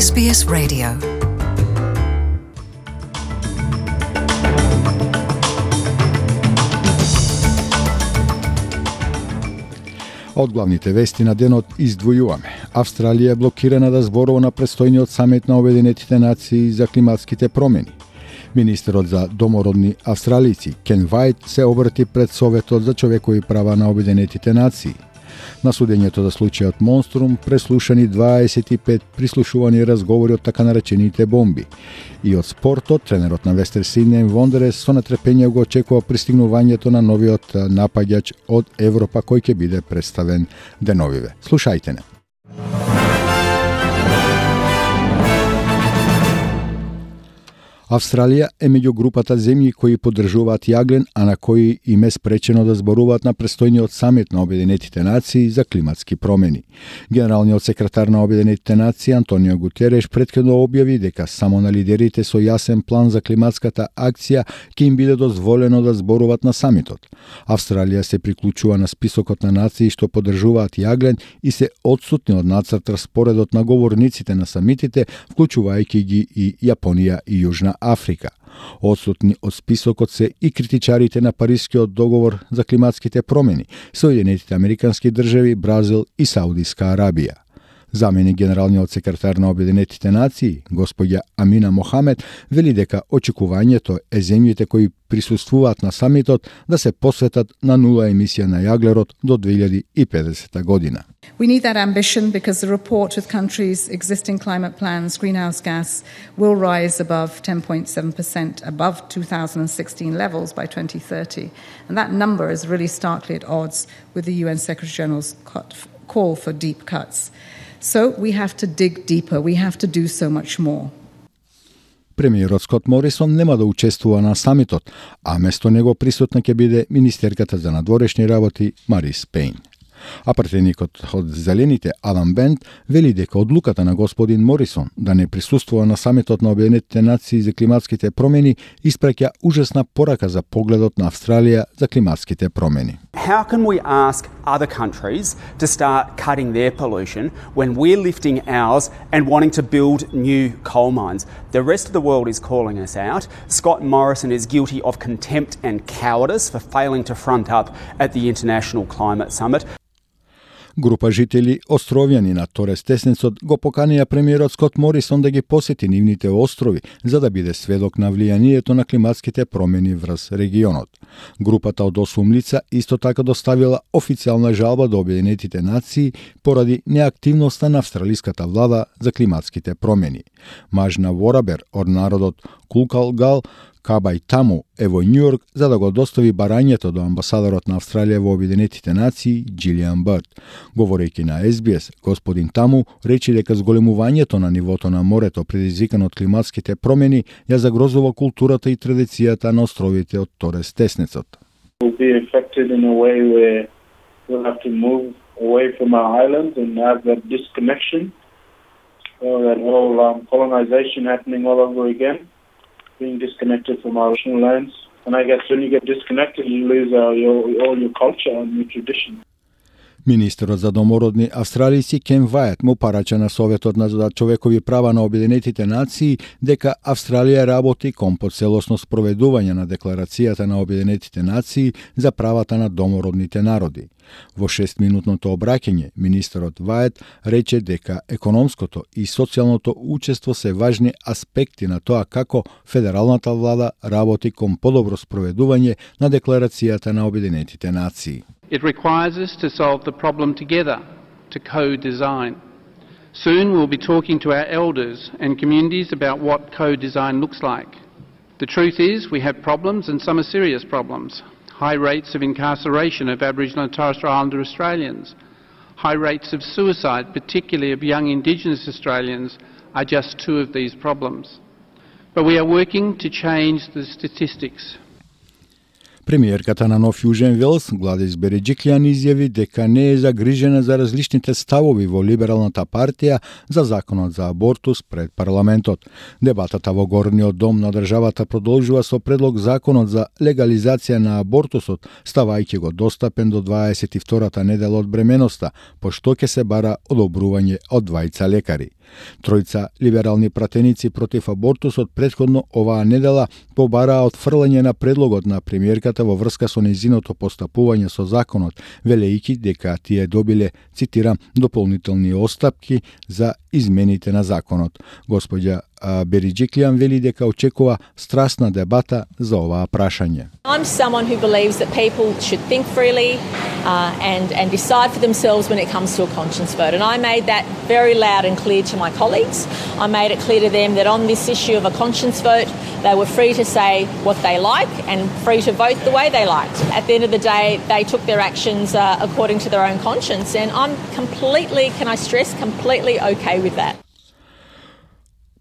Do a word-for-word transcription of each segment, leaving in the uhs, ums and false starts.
Ес Би Ес Radio. Од главните вести на денот издвојуваме. Австралија е блокирана да зборува на престојниот самит на Обединетите нации за климатските промени. Министерот за домородни австралици Кен Вајт се обрати пред Советот за човекови права на Обединетите нации. На судењето за случајот Монструм преслушани дваесет и пет прислушувани разговори од така наречените бомби. И од спортот, тренерот на Вестер Сиднеј Вондерес со нетрпение го очекува пристигнувањето на новиот напаѓач од Европа кој ќе биде представен деновиве. Слушајте не. Австралија е меѓу групата земји кои поддржуваат јаглен, а на кои им е спречено да зборуваат на престојниот самит на Обединетите нации за климатски промени. Генералниот секретар на Обединетите нации Антонио Гутереш претходно објави дека само на лидерите со јасен план за климатската акција ќе им биде дозволено да зборуваат на самитот. Австралија се приклучува на списокот на нации што поддржуваат јаглен и се одсутни од нацрт распоредот на говорниците на самитите, вклучувајќи ги и Јапонија и Јужна Африка. Одсутни од списокот се и критичарите на Парискиот договор за климатските промени, Соединетите Американски држави, Бразил и Саудиска Арабија. Заменик генералниот секретар на Обединетите нации, господја Амина Мохамед, вели дека очекувањето е земјите кои присуствуваат на самитот да се посветат на нула емисија на јаглерод до две илјади и педесета година. We need that ambition because the report with countries' existing climate plans, greenhouse gas, will rise above ten point seven percent above two thousand sixteen levels by twenty thirty. And that number is really starkly at odds with the U N Secretary General's call for deep cuts. So we have to dig deeper. We have to do so much more. Премиерот Скот Морисон нема да учествува на самитот, а место него присутна ќе биде министерката за надворешни работи Марис Пейн. А пратеникот од Зелените Алан Бент вели дека одлуката на господин Морисон да не присуствува на самитот на Обединетите нации за климатските промени испраќа ужасна порака за погледот на Австралија за климатските промени. How can we ask other countries to start cutting their pollution when we're lifting ours and wanting to build new coal mines? The rest of the world is calling us out. Scott Morrison is guilty of contempt and cowardice for failing to front up at the International Climate Summit. Група жители островјани на Торес Теснецот го поканија премиерот Скот Морисон да ги посети нивните острови за да биде сведок на влијанието на климатските промени врз регионот. Групата од осум лица исто така доставила официјална жалба до Обединетите нации поради неактивноста на австралиската влада за климатските промени. Мажна Ворабер од народот Кулкалгал Кабај Таму е во Њујорк за да го достави барањето до амбасадорот на Австралија во Обединетите нации Джилијан Бърд. Говорејќи на Ес Би Ес, господин Таму рече дека зголемувањето на нивото на морето предизвикано од климатските промени ја загрозува културата и традицијата на островите од Торес Теснецот. We'll be affected in a way where we'll have to move away from our islands and have that disconnection, or that whole um, colonization happening all over again. Being disconnected from our ocean lands. And I guess when you get disconnected, you lose uh, your, all your culture and your tradition. Министерот за домородни австралици Кен Вајт му парача на Советот за човекови права на Обединетите нации дека Австралија работи кон поцелосно спроведување на декларацијата на Обединетите нации за правата на домородните народи. Во шестминутното обраќање, министерот Вајт рече дека економското и социјалното учество се важни аспекти на тоа како федералната влада работи кон подобро спроведување на декларацијата на Обединетите нации. It requires us to solve the problem together, to co-design. Soon we'll be talking to our elders and communities about what co-design looks like. The truth is we have problems, and some are serious problems. High rates of incarceration of Aboriginal and Torres Strait Islander Australians, high rates of suicide, particularly of young Indigenous Australians, are just two of these problems. But we are working to change the statistics. Премиерката на Нов Јужен Велс, Гладис Береџиклјан, изјави дека не е загрижена за различните ставови во Либералната партија за законот за абортус пред парламентот. Дебатата во Горниот дом на државата продолжува со предлог законот за легализација на абортусот, ставајќи го достапен до дваесет и втората недела од бременоста, пошто ќе се бара одобрување од двајца лекари. Тројца либерални пратеници против абортусот претходно оваа недела побараа отфрлање на предлогот на премиерката во врска со нејзиното постапување со законот, велејќи дека тие добиле, цитирам, дополнителни остапки за измените на законот. Господја Бериџиклијан вели дека очекува страстна дебата за оваа прашање. I'm someone who believes that people should think freely uh, and, and decide for themselves when it comes to a conscience vote. And I made that very loud and clear to my colleagues. I made it clear to them that on this issue of a conscience vote, they were free to say what they like and free to vote the way they liked. At the end of the day, they took their actions uh, according to their own conscience. And I'm completely, can I stress, completely okay with that.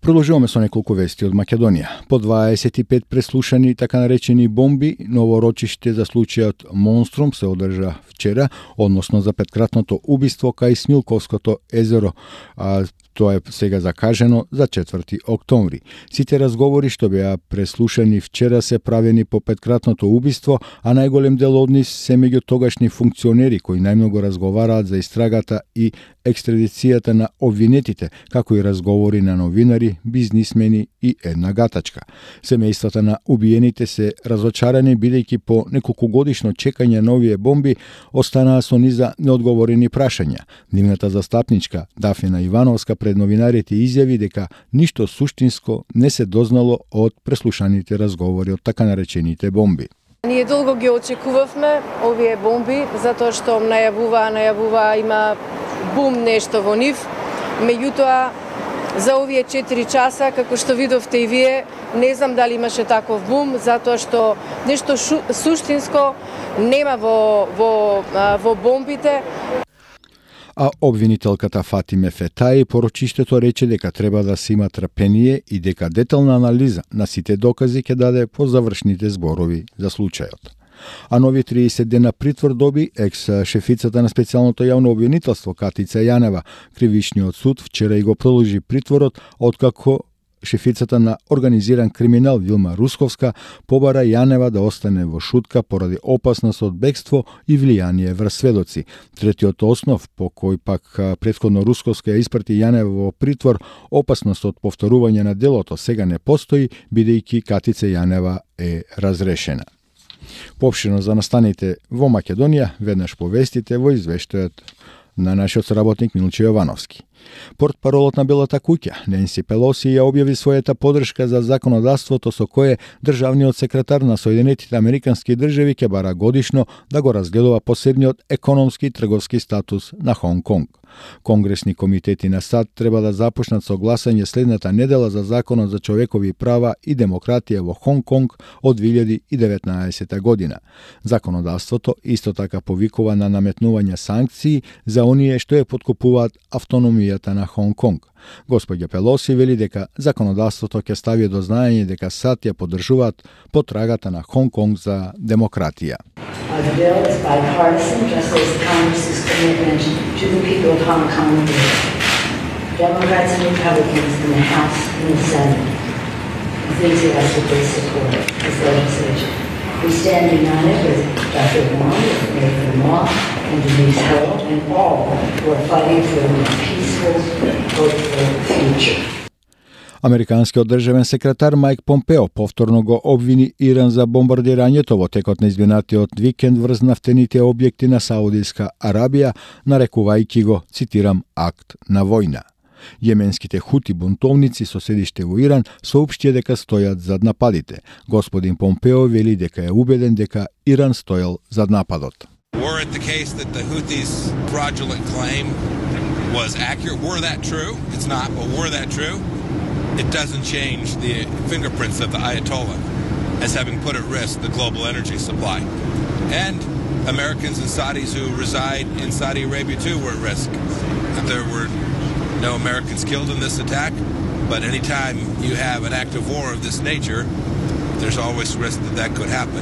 Продолжуваме со неколку вести од Македонија. По дваесет и пет преслушани така наречени бомби, ново рочиште за случајот Монструм се одржа вчера, односно за петкратното убиство кај Смилковското езеро. А, тоа е сега закажено за четврти октомври. Сите разговори што беа преслушани вчера се правени по петкратното убиство, а најголем дел од нив се меѓу тогашни функционери кои најмногу разговараат за истрагата и екстрадицијата на обвинетите, како и разговори на новинари, бизнисмени и една гатачка. Семејствата на убиените се разочарани бидејќи по неколкугодишно чекање на овие бомби останаа со низа неодговорени прашања. Нивната застапничка Дафина Ивановска пред новинарите изјави дека ништо суштинско не се дознало од преслушаните разговори од така наречените бомби. Ние долго ги очекувавме овие бомби, затоа што најавува, најавува има бум нешто во нив. Меѓутоа, за овие четири часа, како што видовте и вие, не знам дали имаше таков бум, затоа што нешто шу, суштинско нема во, во, во бомбите. А обвинителката Фатиме Фетаи по рочиштето рече дека треба да се има трпение и дека детална анализа на сите докази ќе даде по завршните зборови за случајот. А нови триесет дена притвор доби екс-шефицата на специјалното јавно обвинителство Катица Јанева. Кривичниот суд вчера и го продолжи притворот, откако шефицата на организиран криминал Вилма Русковска побара Јанева да остане во шутка поради опасност од бегство и влијание врз сведоци. Третиот основ по кој пак претходно Русковска ја испрати Јанева во притвор, опасност од повторување на делото сега не постои, бидејќи Катица Јанева е разрешена. Поопштено за настаните во Македонија, веднаш повестите во извештајот на нашиот соработник Милче Јовановски. Портпаролот на Белата куќа, Ненси Пелоси, ја објави својата подршка за законодавството со кое државниот секретар на Соединетите Американски држави ќе бара годишно да го разгледува посебниот економски и трговски статус на Хонг Конг. Конгресни комитети на САД треба да започнат со гласање следната недела за Законот за човекови права и демократија во Хонг Конг од две илјади и деветнаесета година. Законодавството исто така повикува на наметнување санкции за оние што ја поткупуваат автономијата на Хонг Конг. Господја Пелоси вели дека законодавството ќе стави до знаење дека САД ја поддржуваат потрагата на Хонг Конг за демократија. The bill is bipartisan, just as Congress's commitment to the people of Hong Kong is. Democrats and Republicans in the House and the Senate enthusiastically support this legislation. We stand united with Doctor Wong, with Nathan Law, and Denise Ho, and all who are fighting for a more peaceful, hopeful future. Американскиот државен секретар Мајк Помпео повторно го обвини Иран за бомбардирањето во текот на изминатиот викенд врз нафтените објекти на Саудиска Арабија, нарекувајќи го, цитирам, акт на војна. Јеменските хути бунтовници со седиште во Иран соопштија дека стојат зад нападите. Господин Помпео вели дека е убеден дека Иран стоел зад нападот. Were it the case that the Houthis' fraudulent claim was accurate, were that true? It's not, but were that true? It doesn't change the fingerprints of the Ayatollah as having put at risk the global energy supply. And Americans and Saudis who reside in Saudi Arabia too were at risk. There were no Americans killed in this attack, but anytime you have an act of war of this nature, there's always risk that that could happen.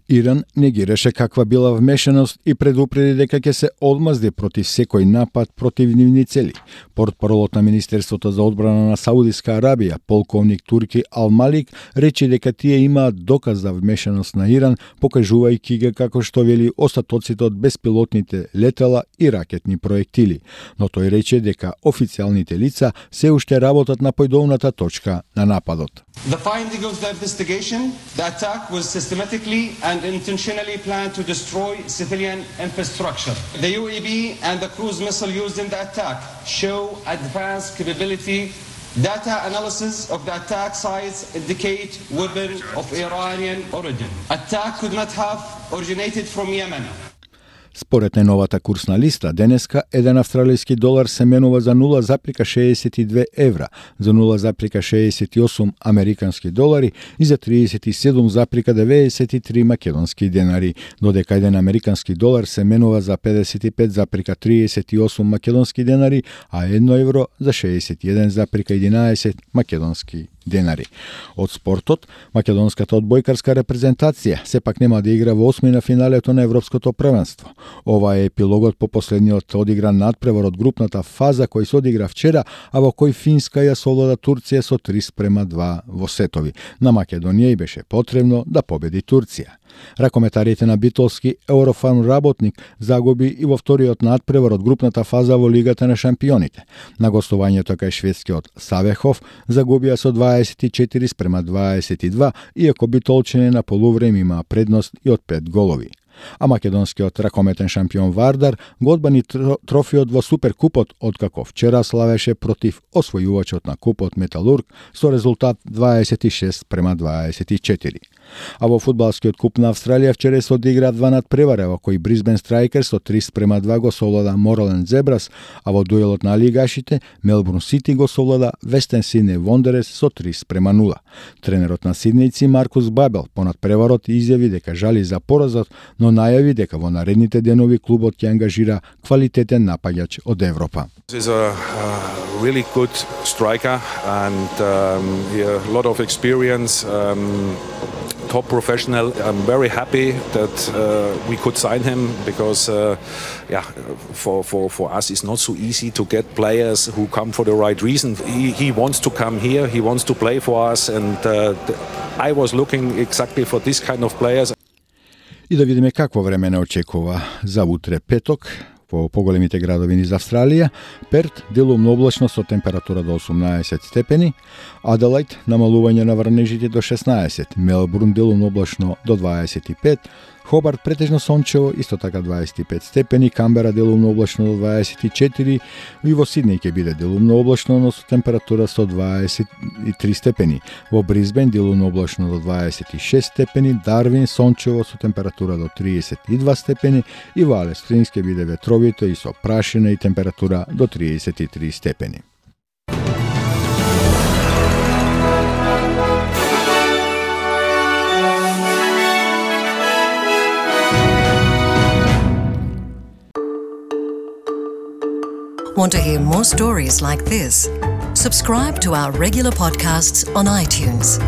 Иран негираше каква била вмешаност и предупреди дека ќе се одмазди против секој напад против нивни цели. Портпаролот на Министерството за одбрана на Саудиска Арабија, полковник Турки Ал-Малик, рече дека тие имаат доказ за вмешаност на Иран, покажувајќи ги како што вели остатоците од беспилотните летела и ракетни проектили. Но тој рече дека официјалните лица се уште работат на појдовната точка на нападот. The finding of the investigation, the attack was systematically and intentionally planned to destroy civilian infrastructure. The U A V and the cruise missile used in the attack show advanced capability. Data analysis of the attack sites indicate weapon of Iranian origin. Attack could not have originated from Yemen. Според најновата курсна листа, денеска еден австралиски долар се менува за нула запирка шеесет и две евра, за нула запирка шеесет и осум американски долари и за триесет и седум запирка деветдесет и три македонски денари, додека еден американски долар се менува за педесет и пет запирка триесет и осум македонски денари, а едно евро за шеесет и еден запирка единаесет македонски денари. Од спортот, македонската одбојкарска репрезентација сепак нема да игра во осми на финалето на Европското првенство. Ова е епилогот по последниот одигран надпревар од групната фаза кој се одигра вчера, а во кој Финска ја совлада Турција со три спрема два во сетови. На Македонија и беше потребно да победи Турција. Ракометарите на битолски Еврофарм работник загуби и во вториот надпревар од групната фаза во Лигата на шампионите. На гостувањето кај шведскиот Савехов загубија со дваесет и четири спрема дваесет и два, иако битолчани на полувреме има предност и од пет голови. А македонскиот ракометен шампион Вардар го одбрани трофеот во Суперкупот, откако вчера славеше против освојувачот на купот Металург со резултат дваесет и шест спрема дваесет и четири. А во фудбалскиот куп на Австралија вчера се одигра два надпревара, во кој Брисбен Страйкерс со три спрема два го совлада Морален Зебрас, а во дуелот на лигашите Мелбурн Сити го совлада Вестен Сиднеј Вондерерс со три спрема нула. Тренерот на сиднејци Маркус Бабел по надпреварот изјави дека жали за поразот, но најави дека во наредните денови клубот ќе ангажира квалитетен напаѓач од Европа. He's a uh, really good striker and um, he has a lot of experience. Um, top professional. I'm very happy that uh, we could sign him because uh, yeah, for, for, for us it's not so easy to get players who come for the right reason. He, he wants to come here, he wants to play for us and uh, I was looking exactly for this kind of players. И да видиме какво време не очекува за утре петок во поголемите градови низ Австралија. Перт делумно облачно со температура до осумнаесет степени, Аделајд намалување на врнежите до шеснаесет, Мелбурн делумно облачно до дваесет и пет, Хобарт претежно сончево, исто така дваесет и пет степени, Камбера делумно облачно до дваесет и четири, и во Сиднеј ќе биде делумно облачно, но со температура со дваесет и три степени. Во Брисбен делумно облачно до дваесет и шест степени, Дарвин сончево со температура до триесет и два степени и во Алис Спрингс ќе биде ветровито и со прашина и температура до триесет и три степени. Want to hear more stories like this? Subscribe to our regular podcasts on iTunes.